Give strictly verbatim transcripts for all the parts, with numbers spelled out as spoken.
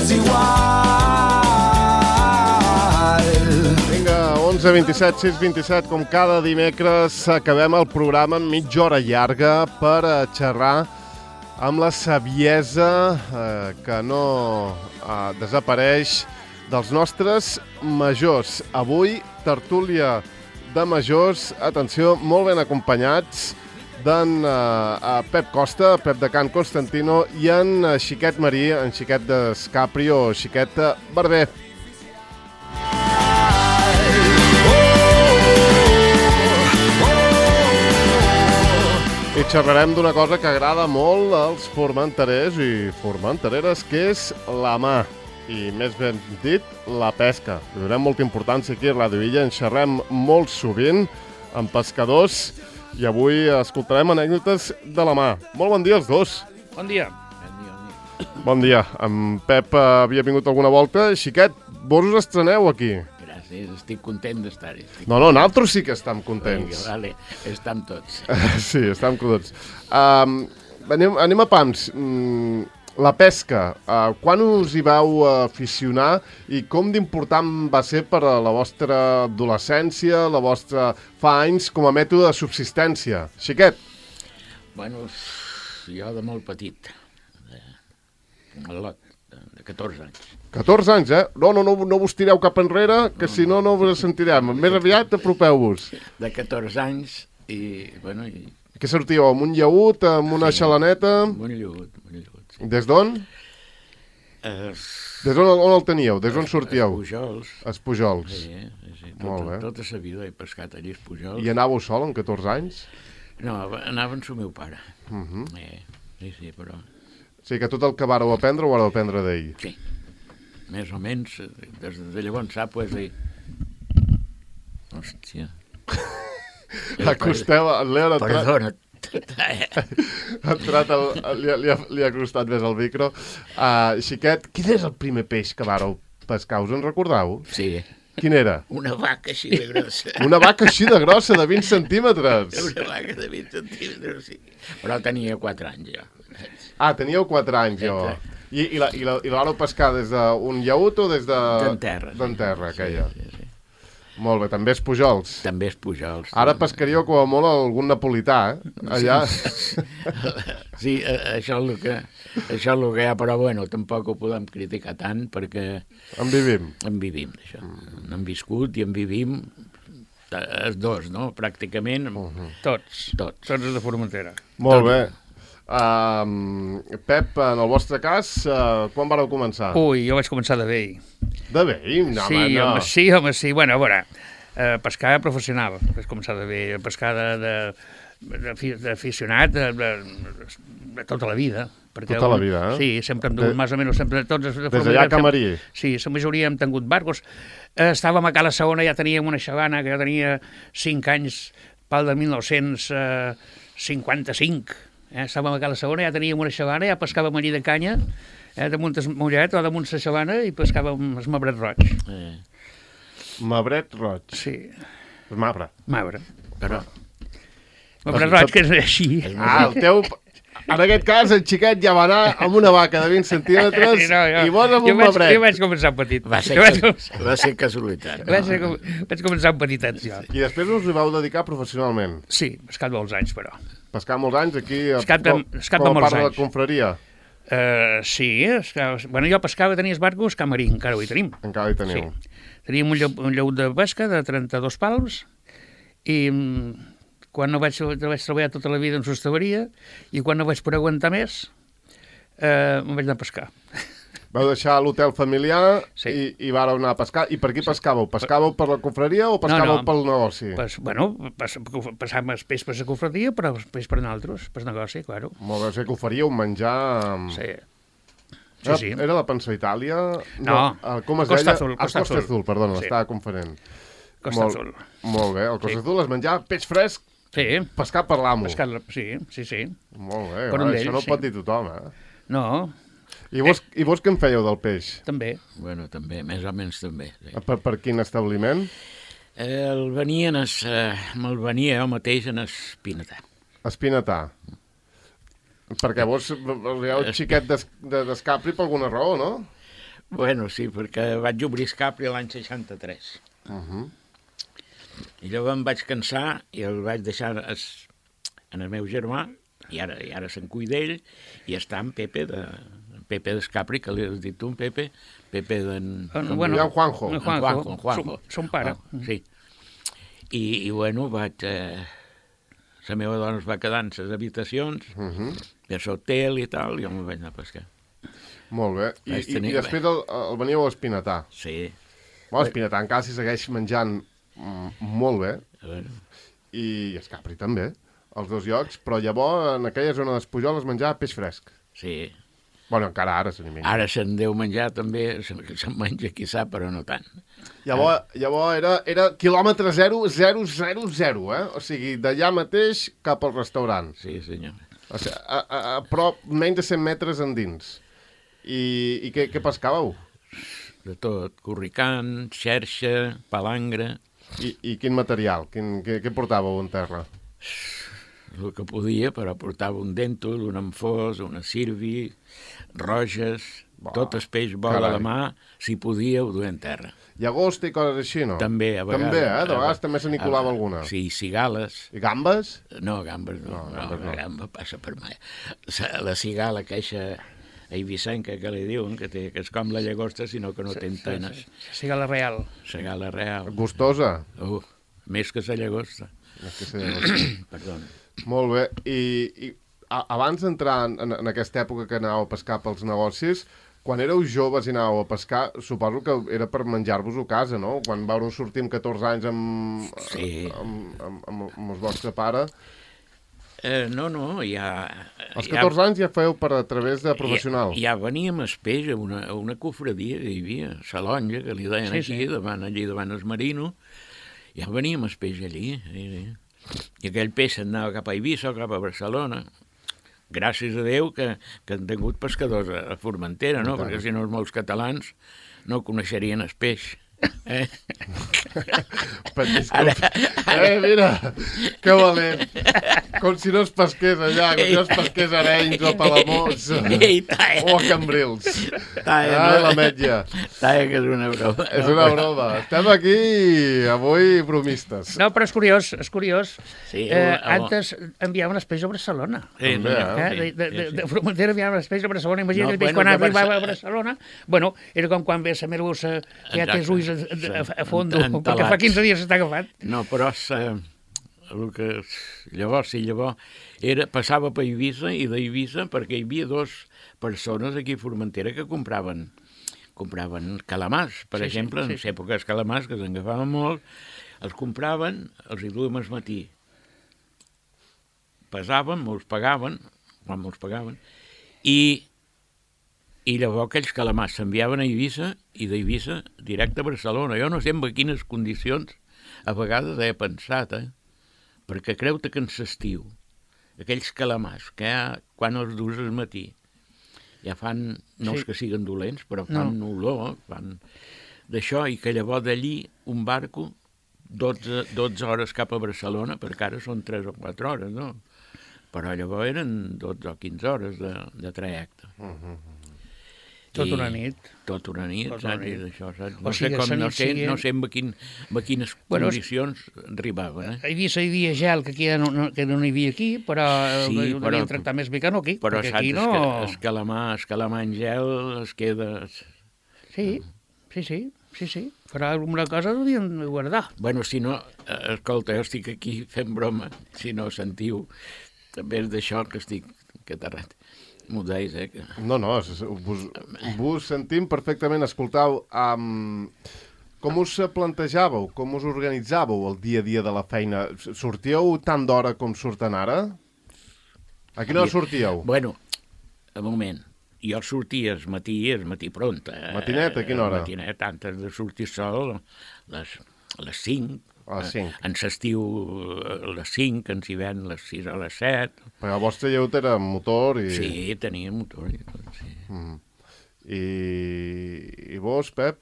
és igual. Vinga, onze vint-i-set, sis vint-i-set, com cada dimecres acabem el programa amb mitja hora llarga per xerrar amb la saviesa eh, que no eh, desapareix dels nostres majors. Avui, tertúlia de majors, atenció, molt ben acompanyats d'en uh, Pep Costa, Pep de Can Constantino i en uh, Xiquet Marí, en Xiquet d'Escapri o Xiquet Barber. I xerrarem d'una cosa que agrada molt als formenterers i formentereres, que és la mà. I més ben dit, la pesca. Li donem molta importància aquí a Ràdio Illa, en xerrem molt sovint amb pescadors i avui escoltarem anècdotes de la mà. Molt bon dia als dos. Bon dia. Bon dia. En Pep havia vingut alguna volta. Xiquet, vos us estreneu aquí? Gràcies, estic content d'estar-hi. No, no, nosaltres sí que estem contents. Vinga, vale, estem tots. Sí, estem contents. Um, anem, anem a pams. Mm, La pesca, uh, quan us hi vau aficionar i com d'important va ser per a la vostra adolescència, la vostra fa anys, com a mètode de subsistència? Xiquet? Bueno, jo de molt petit, de, de lot, de, de catorze anys. catorze anys, eh? No, no, no, no vos tireu cap enrere, que si no, no vos sentirem. Més aviat apropeu-vos. De catorze anys i, bueno... I... Que sortíeu, amb un llaüt, amb una sí, xalaneta? Amb un llaüt, amb un llaüt. Sí. Des d'on? Es... Des d'on on el teníeu? Des d'on sortíeu? Els Pujols. Els Pujols. Sí, sí. Molt Tota, bé. tota sa vida he pescat allí els Pujols. I anàveu sol amb catorze anys? No, anava amb el meu pare. Uh -huh. eh, sí, sí, però... O sigui que tot el que vareu aprendre ho vareu aprendre d'ell. Sí, més o menys, des de llavors sap, pues, dir... Hòstia... Acosteu, el Leo ha entrat... Perdona. ha entrat el, li, li, ha, li ha costat més el micro. Uh, Xiquet, quin és el primer peix que vareu pescar? Us en recordeu? Sí. Quin era? Una vaca així de grossa. Una vaca així de grossa, de vint centímetres. Una vaca de vint centímetres, sí. Però tenia quatre anys, jo. Ah, teníeu quatre anys, jo. I, i, la, i, la, i la vareu pescar des d'un llaüt o des de... D'en terra. D'en terra, sí, aquella. Sí, sí. Molt bé, també és Pujols. També és Pujols. Ara pescaríeu com a molt algun napolità, eh? Allà... Sí, això és el que, això és el que hi ha, però bueno, tampoc ho podem criticar tant perquè... En vivim. En vivim, això. Mm. En viscut i en vivim els dos, no? Pràcticament. Uh -huh. Tots. Tots. Tots els de Formentera. Molt bé. Uh, Pep, en el vostre cas, uh, quan vareu començar? Ui, jo vaig començar de vell. De vell? No, sí, home, no. Home, sí, home, sí. Bueno, a veure, eh, pescar professional. Vaig començar de vell. Pescar d'aficionat de, de, de, de tota la vida. Perquè tota la vida, eh? Sí, sempre hem tingut, de... més o menys, sempre tots... De des d'allà a Camarí? Sí, la majoria hem tingut barcos. Eh, estàvem a Cala Segona, ja teníem una xavana que ja tenia cinc anys, pal de mil nou-cents cinquanta-cinc. Eh, estàvem a Cala Segona, ja teníem una xavana, ja pescàvem allí de canya, eh, damunt el mollet o damunt la xavana, i pescàvem el mabret roig. Eh. Mabret roig. Sí. El mabre. Mabre. Però... Mabret roig, que és així. Ah, el teu... En aquest cas, el Xiquet ja va anar amb una vaca de vint centímetres no, jo, i vos amb jo un vaig, mabret. Jo vaig començar petit. Va ser, vaig, cas, va ser casualitat. vaig, no? vaig començar amb petitets, jo. I després us hi vau dedicar professionalment? Sí, pescat molts anys, però. Pescar molts anys aquí a, Pescat de, pescat com a molts part de la anys. confraria? Uh, sí, escava, bueno, jo pescava, tenia els barcos Camarí, encara ho hi tenim. Encara hi teniu. Sí. Teníem un, llaut, un llaut de pesca de trenta-dos pals i quan no vaig, vaig treballar tota la vida en sostavaria i quan no vaig poder aguantar més, eh, em vaig anar a pescar. Vau deixar l'hotel familiar sí. i, i vareu anar a pescar. I per qui pescàveu? Pescàveu per la confraria o pescàveu no, no. pel negoci? Pues, bueno, pas, passàvem el peix per la confraria, però el peix per nosaltres, per negoci, claro. Molt bé, o sigui que oferíeu menjar... Sí. Sí, era, sí. Era la Pansa Itàlia? No, no com es Costa deia? Azul. Costa, Costa Azul, perdona, sí. l'estava conferent. Costa molt, Azul. Molt bé, el Costa sí. Azul es menjava peix fresc, sí. pescat per l'amo. Pescat, sí, sí, sí. Molt bé, per va, això no ho sí. pot dir tothom, eh? No. I vos, eh. I vos què en fèieu del peix? També. Bueno, també, més o menys també. Sí. Per, per quin establiment? Eh, el venien, es, eh, me'l venia jo mateix en Espinatà. Espinatà. Perquè vos hi ha un xiquet d'es, d'escapri per alguna raó, no? Bueno, sí, perquè vaig obrir Escapri l'any seixanta-tres. Uh -huh. I llavors em vaig cansar i el vaig deixar es, en el meu germà, i ara, i ara se'n cuida d'ell, i està en Pepe de... Pepe d'Escapri, que li has dit tu, en Pepe, Pepe d'en... Uh, bueno, en Juanjo. En Juanjo, Juanjo, en Juanjo. Son, son pare. Oh, sí. I, i bueno, vaig... Eh, la meva dona es va quedar en les habitacions, Uh -huh. de l'hotel i tal, i jo me'n vaig anar a pescar. Molt bé. I, Vaig i, tenir- i després el, el veníeu a Espinatà. Sí. Bueno, Espinatà encara s'hi segueix menjant mm, molt bé, A veure, i Escapri també, els dos llocs, però llavors en aquella zona d'Espujol es menjava peix fresc. sí. Bueno, encara ara se n'hi menja. Ara se'n deu menjar també, se'n se menja quizà, però no tant. Llavors, llavors era, era quilòmetre zero, zero, zero, zero, eh? O sigui, d'allà mateix cap al restaurant. Sí, senyor. O sigui, a, a, a prop, menys de cent metres endins. I, i què, què pescàveu? De tot, corricant, xerxa, palangre, I, i quin material? Quin, què, què portàveu en terra? el que podia, però portava un dèntol, un amfós, una sirvi, roges, Bah, tot el peix bo de carai. la mà, si podia, ho duia en terra. Llagosta i coses així, no? També, a vegades... També, eh? De a- vegades també se n'hi colava a- alguna. Sí, cigales. I gambes? No, gambes no. No, No, gambes no. la gamba passa per mai. La, la cigala, queixa eivissenca que li diuen, que, té, que és com la llagosta, sinó que no té antenes. Siga la real. La gala real. Gustosa? Uh, més que la llagosta. És que se llagosta. Perdó. Molt bé. I, i a, abans d'entrar en, en aquesta època que anàveu a pescar pels negocis, quan éreu joves i anàveu a pescar, suposo que era per menjar-vos-ho a casa, no? Quan vau sortir amb catorze anys amb, Sí. amb, amb, amb, amb el vostre pare. Eh, no, no, ja... Als catorze anys ja feu per a través de professional. Ja, ja veníem a Espeix, a una, a una cofradia que hi havia, Salonja, que li deien Sí, aquí, sí. davant, allí davant el Marino. Ja veníem a Espeix allí. Sí, sí. I aquell peix anava cap a Eivissa o cap a Barcelona. Gràcies a Déu que, que han tingut pescadors a, a Formentera, no? Perquè si no els molts catalans no coneixerien el peix. Eh? Però, disculpa. Eh, mira, que valent. Com si no es pesqués allà, com si no es pesqués a Arenys o a Palamós Ei, talla. o a Cambrils. Talla, Ai, no? la metlla. Talla, que és una broma. És una broma. Estem aquí avui bromistes. No, però és curiós, és curiós. Sí, eh, home. antes enviaven els peixos a Barcelona. Sí, També, senyor, Eh? sí, De, de, de, sí, sí. de Formentera enviaven els peixos a Barcelona. Imagina't No, el peix bueno, quan de arribava Barce- a Barcelona. Bueno, era com quan ve la merluça que ja té els ulls a, a, a, a fondo, En- perquè fa entelats. quinze dies s'està agafat. No, però sa, el que, llavors, sí, llavors, era, passava per Eivissa i d'Eivissa perquè hi havia dos persones aquí a Formentera que compraven compraven calamars, per Sí, sí, exemple, sí, en les èpoques calamars, que s'engafaven molt, els compraven, els hi duien al matí. Pesaven, me'ls pagaven, quan me'ls pagaven, i, i llavors aquells calamars s'enviaven a Eivissa i d'Eivissa directe a Barcelona. Jo no sé en quines condicions a vegades he pensat, eh? Perquè creu-te que en l'estiu, aquells calamars que ja, quan els dus al matí, ja fan, no Sí. és que siguin dolents, però fan no. olor, fan d'això, i que llavors d'allí un barco, dotze, dotze hores cap a Barcelona, perquè ara són tres o quatre hores, no? Però llavors eren dotze o quinze hores de, de trajecte. Uh -huh. Tot I- una nit. Tot una nit, Tot una saps? I nit. d'això, saps? O No sé, sigui, com, la no nit sé, siguient- no sé en, quin, en quines Bueno, és- condicions arribaven, eh? A Eivissa hi havia gel, que aquí ja no, no, que no hi havia aquí, però Sí, sí, ho però- devien tractar més bé que no aquí, Però perquè saps, aquí es, no... que, es calamar, es calamar en gel es queda... Sí, sí, sí, sí, sí. Farà alguna cosa ho devien guardar. Bueno, si no, eh, escolta, jo estic aquí fent broma, si no sentiu, també és d'això que estic catarrat. M'ho deis, eh? Que... No, no, és- vos, vos sentim perfectament. Escoltau, um, com us plantejàveu, com us organitzàveu el dia a dia de la feina? Sortíeu tant d'hora com surten ara? A quina hora sortíeu? Bueno, un moment. Jo sortia el matí, el matí pront. Eh? Matinet, a quina hora? Matinet, antes de sortir sol, les, a les cinc. A les cinc. En l'estiu a les cinc, en hivern a les sis o a les set. Perquè el vostre lleut era amb motor i... Sí, tenia motor i tot, sí. Mm. I... I vos, Pep?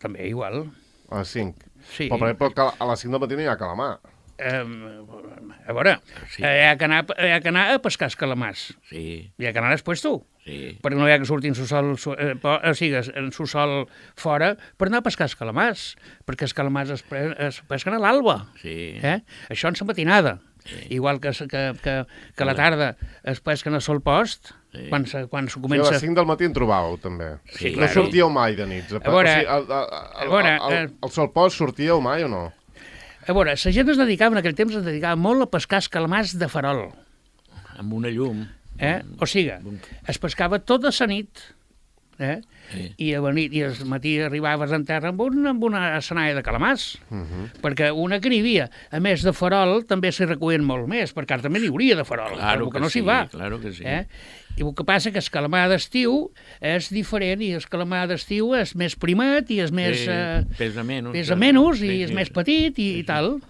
També igual. A les cinc. Sí. Però, per exemple, a les cinc del matí no hi ha calamar. Um, a veure, Sí. sí. hi, ha que anar, hi ha que anar a pescar els calamars. Sí, Hi ha que anar després tu. Sí. perquè no hi ha que sortir en su sol, eh, o sigui, en su sol fora per anar a pescar els calamars, perquè els calamars es, pre, es pesquen a l'alba. Sí. Eh? Això en la matinada. Sí. Igual que, que, que, que a la tarda es pesquen a sol post, sí. quan, se, quan se comença... Sí, a les cinc del matí en trobàveu, també. Sí, no claro. sortíeu mai de nits. A, a veure, o sigui, el, el, el, a veure, el, el, el sol post sortíeu mai o no? A veure, la gent es dedicava, en aquell temps es dedicava molt a pescar els calamars de farol. Amb una llum. Eh? O sigui, es pescava tota la nit, eh? Sí. I a la nit i al matí arribaves en terra amb, un, amb una assenaia de calamars, uh -huh. perquè una que n'hi havia. A més de farol també s'hi recullen molt més, perquè ara també n'hi hauria de farol, claro que, que no s'hi sí, va. Claro que sí. Eh? I el que passa que el calamar d'estiu és diferent, i el calamar d'estiu és més primat i és més... Sí, eh, pesa menys. pesa menys i sí, és sí. més petit i, Sí, sí. i tal.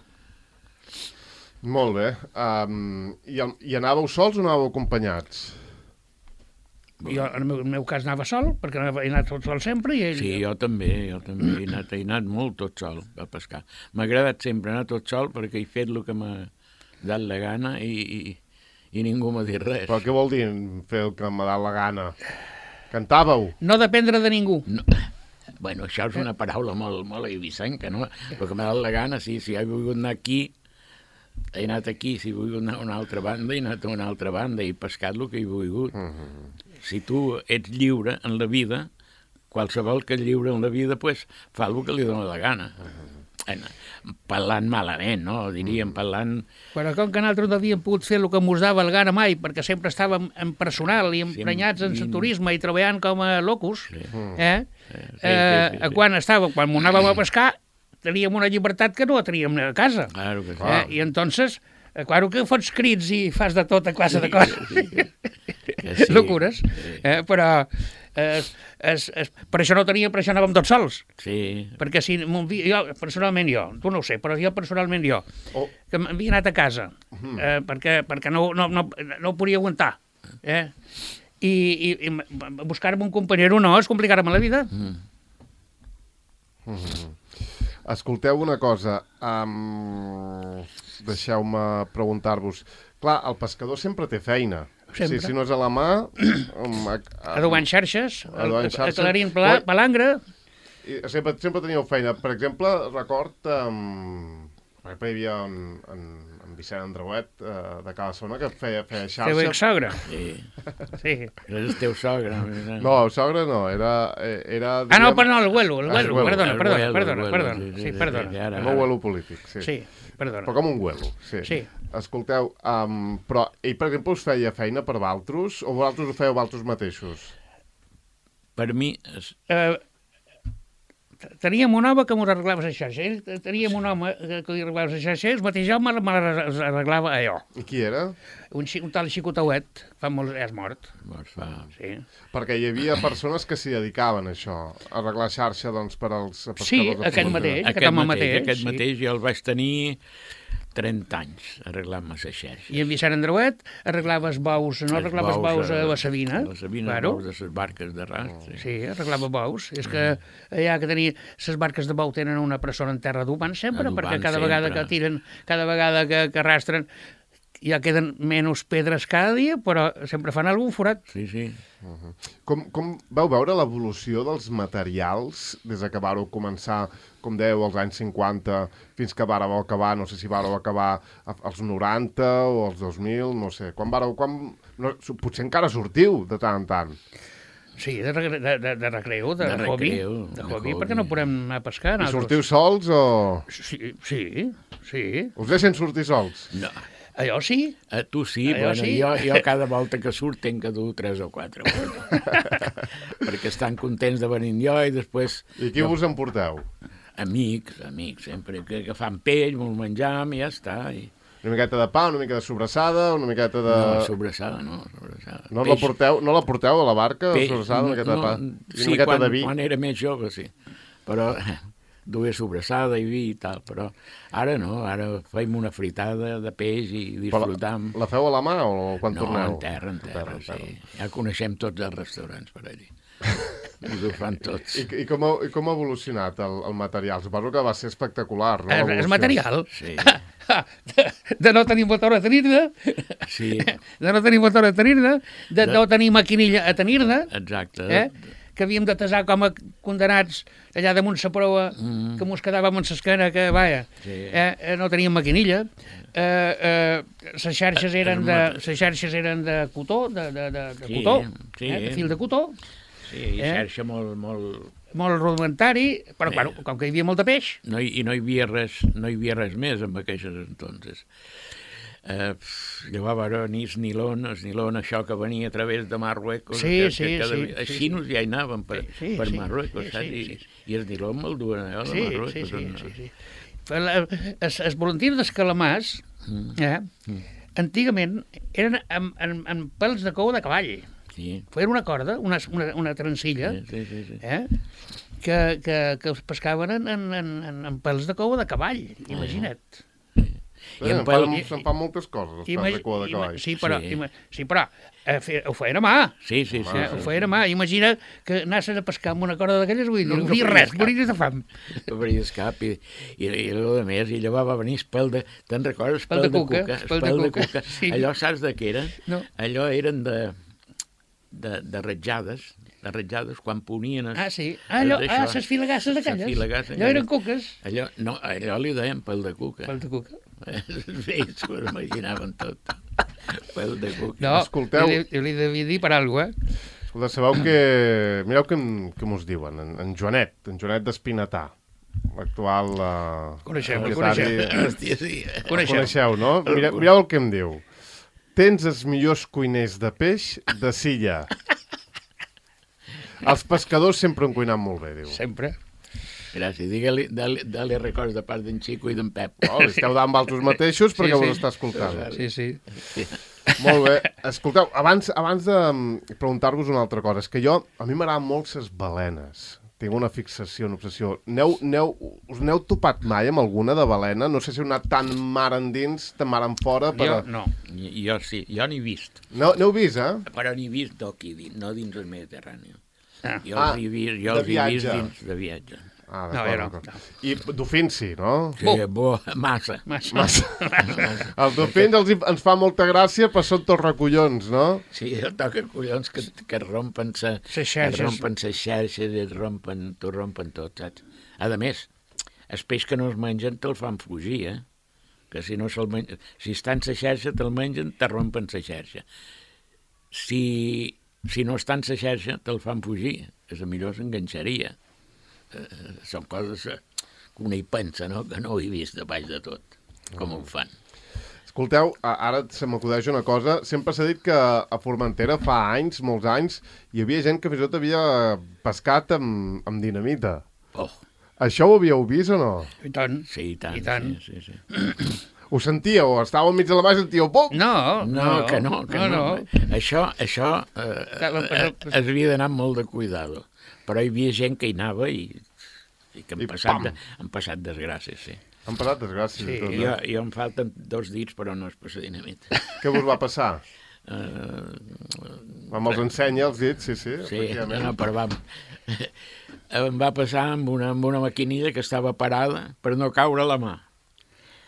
Molt bé. Um, i, I anàveu sols o anàveu acompanyats? Jo, en el meu, en el meu cas, anava sol, perquè anava, he anat tot sol sempre. I ell... Sí, jo també, jo també he anat, he anat molt tot sol a pescar. M'ha agradat sempre anar tot sol perquè he fet el que m'ha dat la gana i, i, i ningú m'ha dit res. Però què vol dir fer el que m'ha dat la gana? Cantàveu? No dependre de ningú. No. Bueno, això és una paraula molt, molt eivissenca, no? El que m'ha dat la gana, sí, si he volgut anar aquí, he anat aquí, si he volgut anar a una altra banda, he anat a una altra banda i he pescat el que he volgut. Uh -huh. Si tu ets lliure en la vida, qualsevol que és lliure en la vida, pues, fa el que li dona la gana. Uh -huh. Parlant malament, no? Diríem, parlant... Però com que nosaltres no havíem pogut fer el que mos dava el gana mai, perquè sempre estàvem en personal i emprenyats en el turisme i treballant com a locus, sí. eh? Sí, sí, eh, sí, sí. Quan estàvem, quan m'ho anàvem a pescar, teníem una llibertat que no teníem a casa. Claro que sí. Eh? I entonces, eh, claro que fots crits i fas de tota classe de coses. Sí, sí, sí. Locures. Eh? Però es, es, es, per això no teníem, per això anàvem tots sols. Sí. Perquè si jo, personalment jo, tu no ho sé, però jo personalment jo, oh. que m'havia anat a casa, eh, perquè, perquè no, no, no, no ho podia aguantar. Eh? I, i, i buscar-me un companyero no, és complicar-me la vida. Mm. Mm-hmm. Escolteu una cosa, um, deixeu-me preguntar-vos. Clar, el pescador sempre té feina. Sempre. Si, si no és a la mà... Um, a, a, Adobant xarxes, xarxes. aclarint pala, palangre... Sempre, sempre teníeu feina. Per exemple, record... Um, per exemple, hi havia en, en, en Vicent Andreuet uh, de Cala Sona que feia, feia xarxa. Teu ex-sogre. Sí. Sí. Era el teu sogre. No, el sogre no, era... era ah, no, però no, el huelo, el huelo, huelo. perdona, El perdona, huelo, perdona, el perdona, huelo, sí, sí, sí, perdona. sí, ara, No huelo polític, sí. Sí, perdona. Però com un huelo, sí. Sí. Escolteu, um, però ell, per exemple, us feia feina per valtros o vosaltres ho fèieu valtros mateixos? Per mi... És... Uh, teníem un home que m'ho arreglava la xarxa. Ell, teníem un home que li arreglava la xarxa, el mateix home me l'arreglava allò. I qui era? Un, un tal Xicotauet, fa molt... és mort. Doncs fa... Sí. Perquè hi havia persones que s'hi dedicaven a això, a arreglar xarxa doncs, per als pescadors. Sí, de aquest fons. mateix. Aquest home mateix, mateix, aquest sí. mateix jo el vaig tenir trenta anys arreglant-me la xarxa. I en Vicent Andreuet arreglava els bous, no arreglava els bous a la Sabina. A la Sabina, claro. els bous de les barques de rast. Sí. Sí, arreglava bous. És que allà que tenia... Les barques de bou tenen una persona en terra adobant sempre, Adobant perquè cada sempre. vegada que tiren, cada vegada que, que arrastren, ja queden menys pedres cada dia, però sempre fan algun forat. Sí, sí. Uh -huh. com, com vau veure l'evolució dels materials des de que vareu començar, com dèieu, als anys cinquanta, fins que vareu acabar, no sé si vareu acabar als noranta o als dos mil, no sé. Quan vareu... Quan... No, potser encara sortiu de tant en tant. Sí, de, de, de, de recreu, de, De hobby. recreu, De de hobby, hobby. perquè no podem anar a pescar. I sortiu sols o... Sí, sí, sí. Us deixen sortir sols? No. Allò sí. A tu sí, Allò bueno, sí. Jo, jo cada volta que surt tenc que dur tres o quatre. Perquè estan contents de venir jo i després... I qui vos emporteu? Amics, amics, sempre que, que fan pell, molt menjam i ja està. I... Una miqueta de pa, una mica de sobrassada, una miqueta de... No, sobrassada, no, sobrassada. No la porteu, no la porteu a la barca, Peix, sobrassada, una miqueta de pa? no, I una sí, miqueta quan, de vi? quan era més jove, sí. Però duia sobrassada i vi i tal, però ara no, ara feim una fritada de peix i disfrutam. La, la feu a la mà o quan no, torneu? en terra, en terra, en terra, sí. Ja coneixem tots els restaurants per allí. Us ho fan tots. I, i, com, ha, I com ha evolucionat el, el material? Suposo que va ser espectacular, no? El, el material? Sí. De, de no tenir motor a tenir-ne, Sí. de no tenir motor a tenir-ne, de, de no tenir maquinilla a tenir-ne, Exacte. eh? que havíem de tasar com a condenats allà damunt sa proa, Mm. que mos quedàvem en l'esquena, que, vaja, Sí. eh, eh, no teníem maquinilla. Eh, eh, les xarxes eren de, les xarxes eren de cotó, de, de, de, de Sí, cotó, sí. eh, de fil de cotó, Sí, i Eh? xarxa molt, molt... molt rudimentari, però, Eh. bueno, com que hi havia molt de peix, No hi, I no hi havia res, no hi havia res més en aquells entonces. Eh, pff, llavors, bueno, nis nilon, el nilon, això que venia a través de Marruecos, Sí, que, sí, que cada, sí, els sí, xinos ja hi anaven per, Sí, sí, per sí, Marruecos, sí, saps? sí, I, sí. I el nilon me'l duen allò de sí, sí, Marruecos. sí, on- sí, sí. Però la- Es, es voluntaris dels calamars, Mm. eh, Mm. antigament eren amb, amb, amb pèls de cou de cavall. Sí, Feien una corda, una, una, una trencilla, sí, sí, sí, sí. eh, que, que, que els pescaven en, en, en, en pèls de cou de cavall, imagina't. I en en pel- fan, se'n fan moltes coses, els pèls de cua de ima- cavall. sí, però, Sí. ima, sí, però eh, fe, ho feien a mà. Sí, sí, sí. Eh, sí, ho feien a mà. Imagina que anessin a pescar amb una corda d'aquelles, vull dir, No, no, no no faries res, cap. moriries de fam. No veies cap i, i, i el de més, i llavors va venir espel de... Te'n recordes? Espel de cuca, cuca. espel de Espel de cuca, cuca. sí. Allò saps de què eren? No. Allò eren de, de, de ratjades, de ratjades, quan ponien... Es, Ah, sí. Ah, allò, d'això. ah, ses filagasses Ses aquelles. filagasses Allò eren aquelles. cuques. Allò, no, allò li deien pel de cuca. Pel de cuca. Sí, s'ho imaginaven tot. Pel de cuca. No, Escolteu. jo li, jo li devia dir per alguna cosa, eh? Escolta, sabeu que... Mireu què, em- què mos diuen. En, en Joanet, en Joanet d'Espinatà, l'actual... Uh, Coneixem, el propietari- coneixem. Hòstia, sí. El Coneixeu. coneixeu, no? Mireu, mireu el que em diu. Tens els millors cuiners de peix de Silla. Els pescadors sempre han cuinat molt bé, diu. Sempre. Gràcies. Digue-li, dale, dale records de part d'en Xico i d'en Pep. Oh, esteu davant vosaltres mateixos perquè Sí, sí. us està escoltant. Sí, sí. Molt bé. Escolteu, abans, abans de mm, preguntar-vos una altra cosa, és que jo, a mi m'agraden molt les balenes. Tinc una fixació, una obsessió. Neu, neu, us n'heu topat mai amb alguna de balena? No sé si heu anat tan mar endins, tan mar en fora. Per... Jo no. Jo, jo sí, jo n'he vist. No, n'heu vist, eh? Però n'he vist d'aquí, dins, no dins el Mediterrani. Ah. Jo Ah, els he vist, jo de els he vist viatge. dins de viatge. Ah, No, d'acord, jo no, d'acord. I dofins sí, no? Sí, bo, massa. Massa. Massa. Els dofins els, hi- ens fa molta gràcia, però són tots recollons, no? Sí, el toca collons que, que et rompen sa, Ses xarxes. et rompen ses xarxes, et rompen, t'ho rompen tot, saps? A més, el peix que no es mengen te'l fan fugir, eh? Que si no se'l mengen... Si està en sa xarxa, te'l mengen, te rompen sa xarxa. Si, si no està en sa xarxa, te'l fan fugir. És a millor s'enganxaria. Eh, són coses eh, que un hi pensa, no? Que no ho he vist de baix de tot, com ho fan. Escolteu, a- ara se m'acudeix una cosa. Sempre s'ha dit que a Formentera fa anys, molts anys, hi havia gent que fins i tot havia pescat amb, amb dinamita. Oh, Això ho havíeu vist o no? I tant. sí, i tant. I tant. Sí, sí, sí. Ho sentíeu? Estàveu enmig de la mà i sentíeu pum! No, No, que no, que no. no. Això, això eh, Clar, eh, però- es havia d'anar amb molt de cuidado. Però hi havia gent que hi anava i, i que han I passat, pam! de, han passat desgràcies, sí. Han passat desgràcies Sí, i tot, I eh? jo, jo em falten dos dits, però no és per la dinamita. Què vos va passar? Uh, Vam els ensenya els dits, sí, sí. sí, efectivament. no, però vam... em va passar amb una, amb una maquinilla que estava parada per no caure a la mà.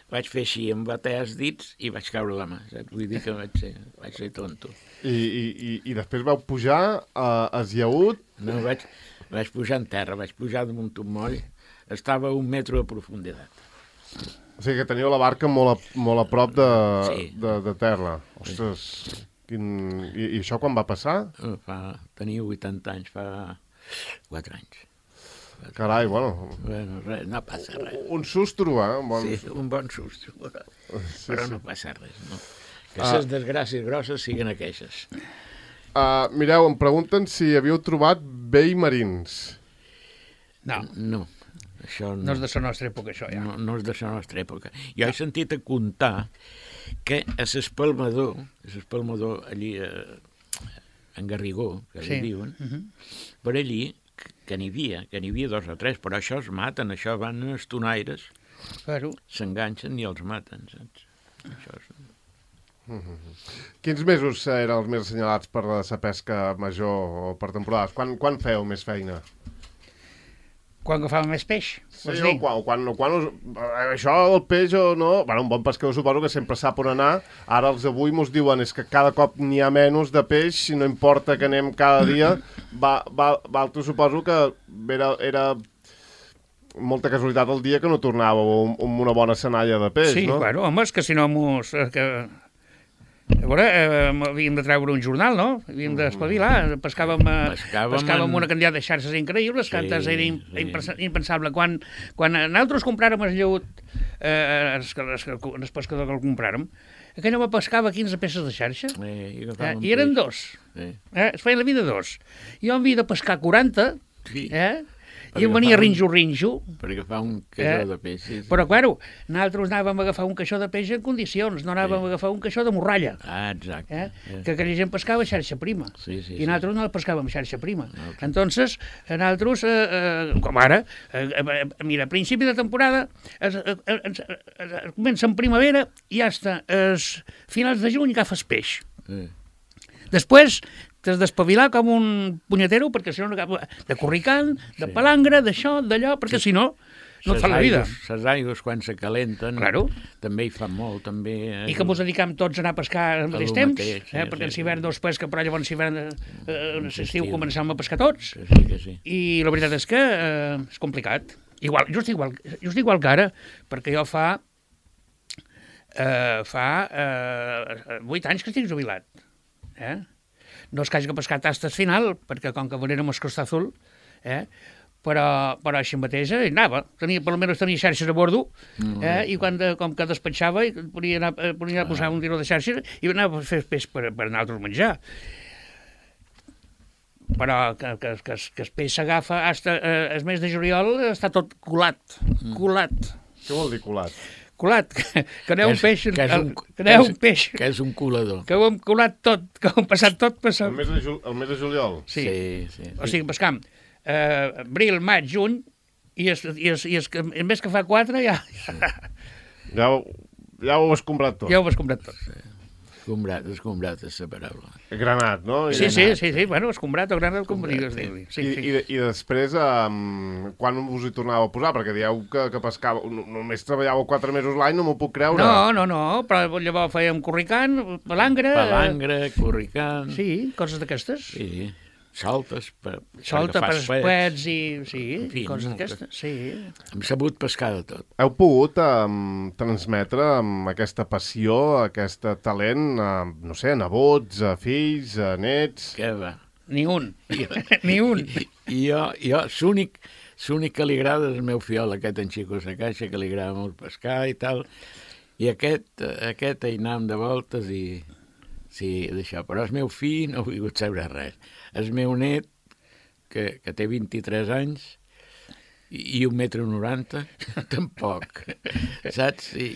Vaig fer així, em va tallar els dits i vaig caure a la mà, saps? Vull dir que vaig ser, vaig ser tonto. I, i, i, I després vau pujar a esllaut. No, vaig, vaig pujar en terra, vaig pujar damunt un moll, estava a un metre de profunditat. O sigui que teniu la barca molt a, molt a prop de, Sí. de, de terra. Ostres, quin... I, i això quan va passar? Eh, Fa, tenia vuitanta anys, fa quatre anys. Carai, bueno, Bueno, res, no passa res. un sustro, eh? Un bon... Sí, un bon susto, Sí, però sí. no passa res, no. Que Ah. les desgràcies grosses siguin aquelles. Uh, mireu, em pregunten si havíeu trobat vell marins. No, No, això no. no és de la nostra època, això, ja. No, no és de la nostra època. Jo he sentit a contar que a l'espalmador, a l'espalmador allí a, en Garrigó, que Sí. li diuen, Mhm. per allí, que- que n'hi havia, que n'hi havia dos o tres, però això es maten, això van els tonaires, Claro. s'enganxen i els maten, saps? Això és... Quins mesos eren els més assenyalats per la pesca major o per temporades? Quan, quan feu més feina? Quan agafàvem més peix? Sí, o quan, quan, quan us... Això del peix o no... Bueno, un bon pescador suposo que sempre sap on anar. Ara els avui mos diuen és que cada cop n'hi ha menys de peix, si no importa que anem cada dia. Va, va, Valtro suposo que era, era molta casualitat el dia que no tornàveu amb una bona senalla de peix, sí, no? Sí, bueno, home, és que si no mos... Que... A veure, eh, havíem de treure un jornal, no? Havíem d'espavilar. Pescàvem, eh, Pescàvem pescàvem en... una quantitat de xarxes increïbles, Sí, que antes era sí. impensa- impensable. Quan, quan nosaltres compràrem el lleut, eh, el, el, el pescador que el compràrem, aquell home pescava quinze peces de xarxa, Eh, i, eh, i eren dos. Sí. Eh? Es feia la vida dos. Jo havia de pescar quaranta, Sí. eh? Per I em venia agafar un- rinjo-rinjo. Per agafar un caixó Eh? de peix. Sí, sí. Però, claro, nosaltres anàvem a agafar un caixó de peix en condicions, no anàvem a agafar un caixó de morralla. Ah, exacte. Eh? Eh. Que aquella gent pescava xarxa prima. Sí, sí, I nosaltres no la pescàvem xarxa prima. Nosaltres. Entonces, nosaltres, eh, eh, com ara, eh, eh, mira, a principi de temporada, es, eh, eh, es, es, es comença en primavera i hasta es, finals de juny agafes peix. Eh. Després t'has d'espavilar com un punyetero, perquè si no, no agafes de corricant, de Sí. palangre, d'això, d'allò, perquè si no, no et Ses fa la vida. aigües- Ses aigües, quan se calenten, Claro. també hi fan molt, també... Eh? I que ens dedicam tots a anar a pescar al mateix lo temps, mateix, sí, eh? perquè en sí, hivern sí. no es pesca, però llavors hivern, eh, eh, En l'estiu estiu. començam a pescar tots. Que sí, que sí. I la veritat és que eh, és complicat. Igual, just, igual, just igual que ara, perquè jo fa eh, fa eh, vuit anys que estic jubilat. Eh? No és que hagi pescat tastes final, perquè com que venérem el Costa Azul, eh? però, però així mateix eh, anava. Tenia, per almenys tenia xarxes a bordo, eh? i quan, de, com que despatxava, i podia anar, eh, podia anar a posar un tiró de xarxes i anava a fer peix per, per nosaltres menjar. Però que, que, que, que el peix s'agafa fins eh, el mes de juliol està tot colat, colat, Què vol dir colat? colat, que, que no hi ha un és- peix, que és un- que no hi ha que és- un peix, Que és un colador. que ho hem colat tot, que ho hem passat tot per sa... El mes de, jul... el mes de juliol? Sí. sí, sí. O sigui, pescam eh, abril, maig, juny, i es, i es, i es, el mes que fa quatre ja, ja, Ja, ho- ja ho has comprat tot. ja ho has comprat tot. Escombrat, escombrat és la paraula. Granat, no? Sí, I, sí, sí, sí, bueno, escombrat o granat, com digues sí. dir-li. Sí, I, sí. i, I després, um, quan us hi tornàveu a posar? Perquè dieu que, que pescàveu... no- Només treballàveu quatre mesos l'any, no m'ho puc creure. No, no, no, però llavors fèiem corricant, palangre... eh, Palangre, corricant... Sí, coses d'aquestes. Sí. Saltes per, Solta per agafar espuets i... Sí, En fi, coses moltes. d'aquestes, sí. Hem sabut pescar de tot. Heu pogut um, transmetre um, aquesta passió, aquest talent, a, no sé, a nebots, a fills, a nets... Què va? Ni un, ni un. I jo, jo l'únic l'únic que li agrada és el meu fiol, aquest en Xico Sacaixa, que li agrada molt pescar i tal. I aquest, aquest hi anàvem de voltes i... Sí, d'això. Però el meu fill no ha volgut saber res. El meu net, que, que té vint-i-tres anys, i, i un metre noranta, tampoc. Saps? I,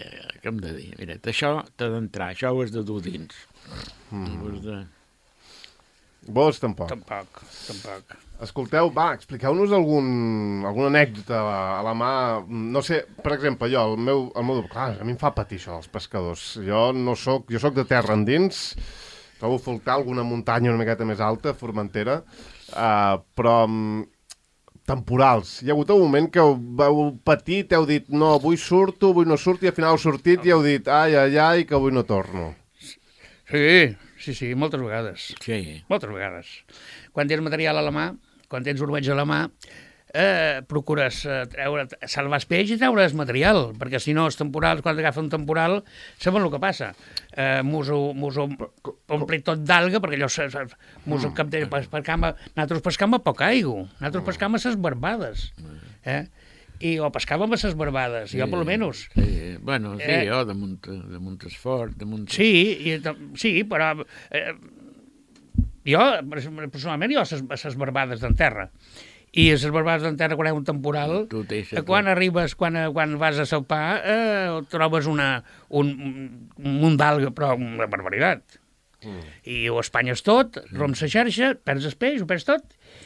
eh, què hem de dir? Mira, això t'ha d'entrar, això ho has de dur dins. Mm. Ho has de... Vos tampoc. Tampoc, tampoc. Escolteu, va, expliqueu-nos algun, alguna anècdota a, a la mà. No sé, per exemple, jo, el meu, el meu... Clar, a mi em fa patir això, els pescadors. Jo no soc... Jo soc de terra endins, trobo a faltar alguna muntanya una miqueta més alta, Formentera, uh, però um, temporals. Hi ha hagut un moment que heu, heu patit, heu dit, no, avui surto, avui no surto, i al final heu sortit i heu dit, ai, ai, ai, que avui no torno. Sí, sí, sí, moltes vegades. Sí. Moltes vegades. Quan tens material a la mà, quan tens ormeig a la mà, eh, procures eh, treure, salvar el peix i treure's material, perquè si no els temporals, quan agafa un temporal, saben el que passa. Eh, mos ho, mos ho ompli tot d'alga, perquè allò se, se, mos ho capte, pescam a, nosaltres pescam a poca aigua, nosaltres pescam a ses barbades. Eh? I o pescàvem a ses barbades, jo per almenys. Sí, bueno, sí, Eh. jo damunt, damunt es fort, damunt... Sí, i, sí, però eh, jo, personalment, jo a ses, a ses barbades d'en terra. I a ses barbades d'en terra, quan hi ha un temporal, Tu deixes eh, quan arribes, quan, quan vas a salpar, eh, trobes una, un, un munt d'alga, però una barbaritat. Mm. I ho espanyes tot, roms la xarxa, perds el peix, ho perds tot.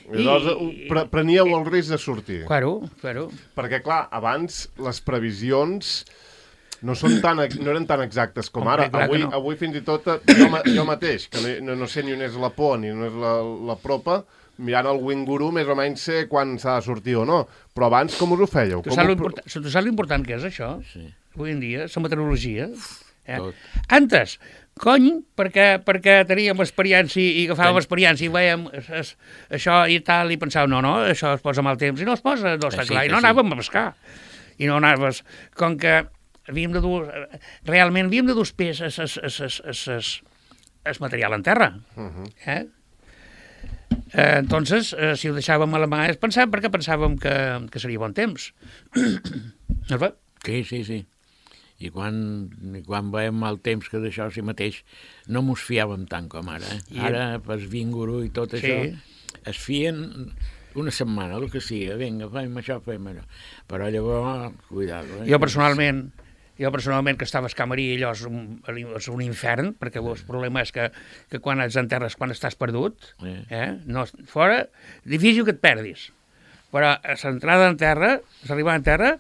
I llavors pre preníeu el risc de sortir. Claro, claro. Perquè, clar, abans les previsions no, són tan, no eren tan exactes com Home, ara. clar que Avui, no. avui fins i tot, eh, jo, ma- jo mateix, que no, no sé ni on és la por ni on és la, la propa, mirant el Winguru més o menys sé quan s'ha de sortir o no. Però abans com us ho fèieu? Tu Com saps ho... l'important tu saps l'important que és això? Sí. Avui en dia, la meteorologia. Eh? Tot. Antes, cony, perquè, perquè teníem experiència i agafàvem experiència i veiem es, es, això i tal, i pensàvem, no, no, això es posa mal temps, i no es posa, no està Que sí, clar, que i no sí. anàvem a pescar. I no anaves, com que havíem de dur, realment havíem de dur pes es, es, es, es, es, es, es material en terra. Uh -huh. Eh? Eh, entonces, eh, si ho deixàvem a la mà és pensar perquè pensàvem que, que seria bon temps. No es va? Sí, sí, sí. I quan, i quan veiem mal temps que d'això sí mateix no mos fiàvem tant com ara. Eh? I- Ara, pel Vinguru i tot Sí. això, es fien una setmana, el que sigui, vinga, fem això, fem allò. Però llavors, cuidado. Eh? Jo personalment, jo personalment que estava a Escamarí, allò és un, és un infern, perquè el problema és que, que quan ets en terra és quan estàs perdut, Eh. eh? No, fora, difícil que et perdis. Però a l'entrada en terra, l'arribada en terra,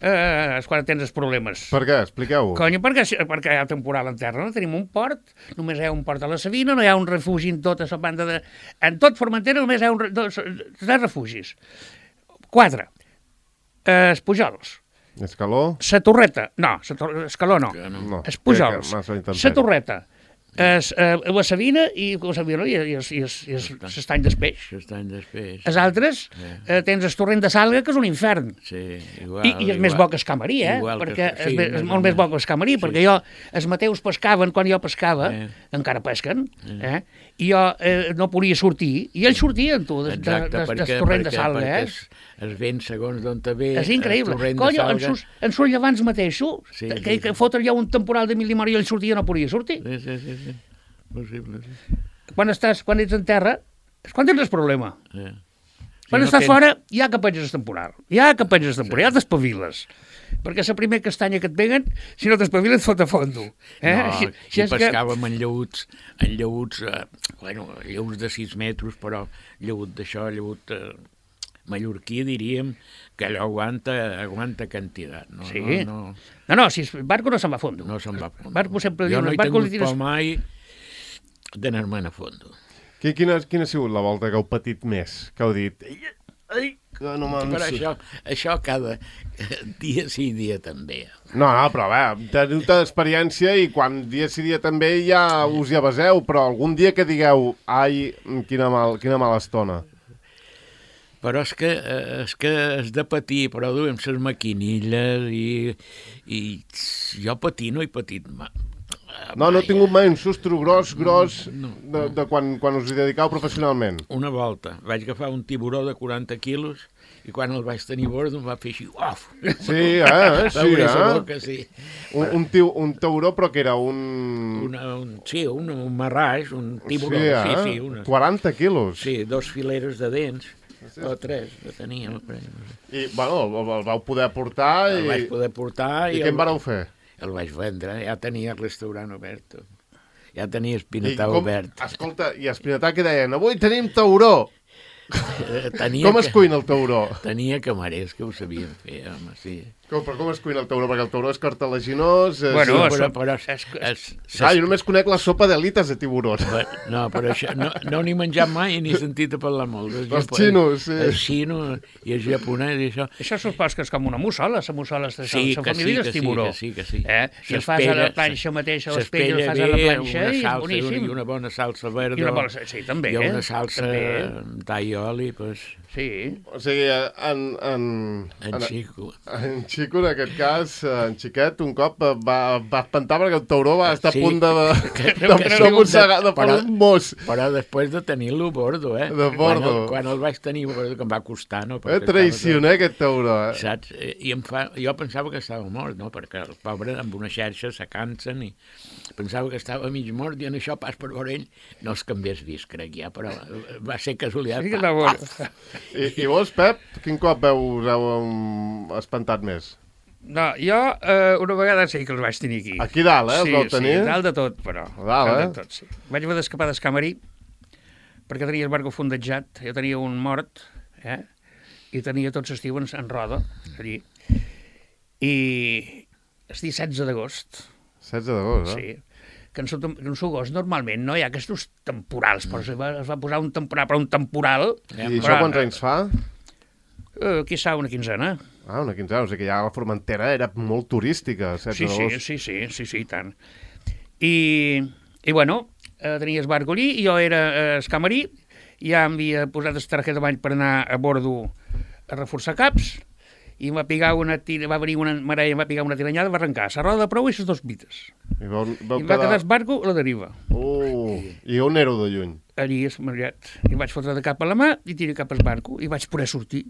eh, és quan tens els problemes. Per què? Expliqueu-ho. Conyo, perquè, perquè hi ha temporal en terra, no tenim un port, només hi ha un port a la Sabina, no hi ha un refugi en tota la banda de... En tot Formentera només hi ha un, re- dos, tres refugis. Quatre. Eh, els Pujols. Escaló? La Torreta. No, la tor Escaló no. Que no. No. Els Pujols. crec que massa La intempèrie. Torreta. Es, eh, la Sabina i la Sabina i, i, i, i, i l'estany d'Espeix. Això any després. Els altres, eh, tens el torrent de Salga, que és un infern. Sí, igual. I, I és més bo que Escamarí, eh? Igual que- Perquè sí, és, més, és més o molt més bo menys. que Escamarí, Sí. perquè jo, els mateus pescaven quan jo pescava, Eh. encara pesquen, eh? I jo eh, no podia sortir, i ells sortien, tu, des, de, Exacte, des, perquè, del torrent de perquè, Salga, perquè eh? es, es ven segons d'on te ve. És increïble. el torrent de Conyo, en Salga. sus, en sus llevants mateixos, Sí, que, sí, que, que sí. fotre ja un temporal de mil i mar i ell sortia no podia sortir. Sí, sí, sí, sí. Possible, sí. Quan estàs, quan ets en terra, és quan tens el problema. Eh. Quan no estàs tens- fora, ja que penges el temporal. Ja que penges el temporal, ja t'espaviles. Perquè la primera castanya que et peguen, si no t'espaviles, et fot a fondo. Eh? No, Així- així i és que- pescàvem en llauts, en llauts, eh, bueno, llauts de sis metres, però llaut d'això, llaut eh, mallorquí, diríem, que allò aguanta, aguanta quantitat. No, Sí. no, no, No, no, si el barco no se'n va a fondo. no se'n va a fondo. Barco sempre jo diuen, no el he barco li tingut tires- por mai d'anar-me'n a fondo. Qui- Quina, quina ha sigut la volta que heu patit més? Que heu dit... Ai, ai, que no me'n... Però això, això cada dia sí, dia també. No, no, però a veure, teniu tanta experiència i quan dia sí dia també ja us hi avaseu, però algun dia que digueu ai, quina, mal, quina mala estona. Però és que, eh, és que has de patir, però duem les maquinilles i, i jo patir no he patit mai. No, no he tingut mai un sustro gros, gros, No, de, de quan, quan us hi dedicau professionalment. Una volta vaig agafar un tiburó de quaranta quilos i quan el vaig tenir a bord em va fer així, uf! Sí, eh? Sí, Va obrir la eh? boca, sí. Un, un, tiu, un tauró, però que era un... Una, un, sí, un, un marràs, un tiburó, sí, eh? sí, sí, una, quaranta quilos. sí, dos fileres de dents, o tres, que tenia. No sé. I, bueno, el, el vau poder portar El i... vaig poder portar I i, què en el, vareu fer? el vaig vendre, ja tenia el restaurant obert. Ja tenia I espinetà com, obert. escolta, i Espinetà que deien, avui tenim tauró. Eh, Tenia Com es que- cuina el tauró? Tenia camarers que ho sabien fer, home, sí. Com, però com es cuina el tauró? Perquè el tauró és cartilaginós... És... Bueno, Sí, és- però, però és, és- és, Ah, jo només conec la sopa d'elites de tiburons. no, però això, no, no n'he menjat mai ni sentit a parlar molt. Els Els xinos, sí. Els xinos i els japonès i això. Això supos que és com una mussola, la mussola és de Sí, la que família sí, del que sí, tiburó. que sí, que sí. Eh? I el fas a la planxa mateixa, l'espella el fas a la planxa i és salsa, boníssim. I una bona salsa verda. I una bona- sí, també, I una eh? salsa També. d'all i oli, pues, Sí. O sigui, en, en, en xico. en Xico, en aquest cas, en Xiquet, un cop va, va espantar perquè el tauró va estar Sí. a punt de, de, Que- de, que de, sí, de mossegar, de però- per un mos. Però després de tenir-lo a bordo, eh? De bordo. Quan el, quan el vaig tenir a bordo, que em va costar, no? Eh, Perquè traicioner aquest tauró, eh? estava- Saps? Eh, I em fa... jo pensava que estava mort, no? Perquè el pobre amb una xarxa se cansen i pensava que estava mig mort i en això pas per veure ell no és que m'hagués vist, crec ja, però va ser casualitat. Sí que Pa- està bona. paf! I, I vos, Pep, quin cop veu, us heu um, espantat més? No, jo eh, una vegada sí que els vaig tenir aquí. Aquí dalt, eh, els sí, vau tenir? Sí, dalt de tot, però. A dalt, eh? de tot, sí. Vaig haver d'escapar d'Escamarí perquè tenia el barco fondejat, jo tenia un mort, eh? I tenia tots els tios en roda, allí. I estic setze d'agost. setze d'agost, eh? Sí. Que en su agost normalment no hi ha aquests temporals, però es va, es va posar un temporal, però un temporal... I això quants anys fa? Eh, qui sap, una quinzena. Ah, una quinzena, o sigui que ja la Formentera era molt turística, setze d'agost. Sí, sí, sí, sí, sí, sí, tant. I, i bueno, eh, tenia el barco allí, i jo era eh, escamarí, ja em havia posat el targeta de bany per anar a bordo a reforçar caps, i em va pigar una tira, va venir una marella, em va pigar una tiranyada, va arrencar la roda de proa i les dos bites. I, vau, vau I em va quedar el barco a la deriva. Uh, I on éreu de lluny? Allí, és marllat. I vaig fotre de cap a la mà i tiré cap al barco i vaig poder sortir.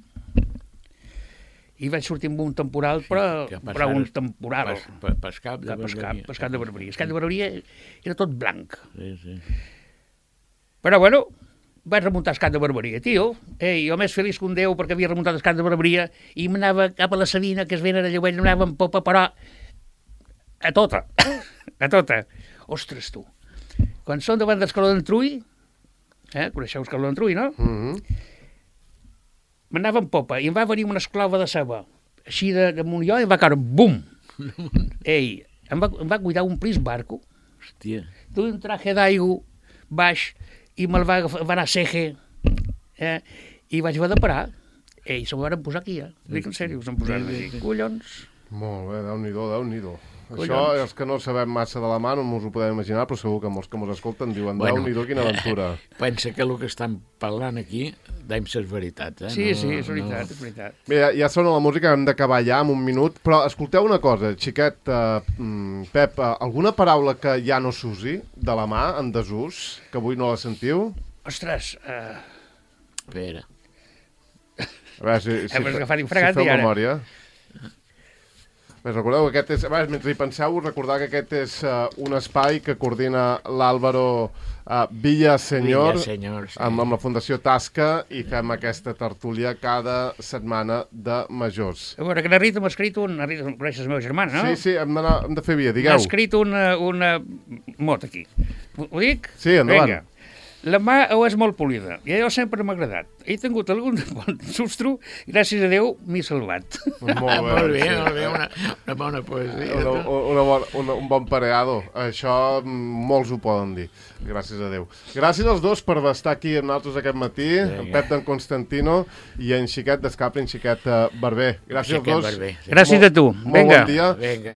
I vaig sortir amb un temporal, però, però un temporal. Pas, pas, pas cap de Barberia. Pas cap de Barberia. El cap de Barberia era tot blanc. Sí, sí. Però, bueno, vaig remuntar el cap de Barberia, tio. Ei, jo més feliç que un déu perquè havia remuntat el cap de Barberia i m'anava cap a la Sabina, que es ven a Lleuell, m'anava en popa, però a tota, a tota. Ostres, tu. Quan som davant d'Escaló d'en Trull, eh, coneixeu Escaló d'en Trull, no? Mm-hmm. M'anava en popa i em va venir una esclava de ceba, així de, de Montlló, i em va caure, bum! Ei, em va, em va cuidar un plis barco. Hòstia. Duia un traje d'aigua baix i me'l va, va anar a Ceje, eh, i vaig haver de parar. Ei, se m'ho van posar aquí, eh? Dic en sèrio, se'm posaven aquí. Collons. Molt bé, Déu-n'hi-do, Déu-n'hi-do. Collons. Això, els que no sabem massa de la mà, no ens ho podem imaginar, però segur que molts que ens escolten diuen, Bueno, Déu-n'hi-do, quina aventura. Pensa que el que estan parlant aquí deim ses veritats, eh? Sí, no, sí, és veritat, no... és veritat. Bé, ja, ja sona la música, hem d'acabar ja en un minut, però escolteu una cosa, xiquet, uh, Pep, uh, alguna paraula que ja no s'usi de la mà, en desús, que avui no la sentiu? Ostres, eh... Espera. A veure, si, si, Hem fe- agafat un si fregat feu i ara. memòria. Bé, recordeu que aquest és... A veure, mentre hi penseu, recordar que aquest és uh, un espai que coordina l'Àlvaro uh, Villaseñor, Villaseñor, sí. amb, amb la Fundació Tasca, i fem aquesta tertúlia cada setmana de majors. A veure, que la Rita m'ha escrit un... La Rita, coneixes la meva germana, no? Sí, sí, hem, d'anar- hem de fer via, M'ha digueu. escrit una, una mot aquí. Ho, ho dic? Sí, endavant. Vinga. La mà ho és molt polida, i allò sempre m'ha agradat. He tingut algun bon sustro, gràcies a Déu m'he salvat. Molt Ah, bé, molt bé, sí. molt bé, una, una bona poesia. Una, una bon, una, un bon pareado. Això mm, molts ho poden dir. Gràcies a Déu. Gràcies als dos per estar aquí amb nosaltres aquest matí, en Pep d'en Constantino i en Xiquet d'Escapri, en Xiquet uh, Barber. Gràcies Xiquet als dos. Barber, sí. Gràcies a tu. Molt Vinga. bon dia. Vinga.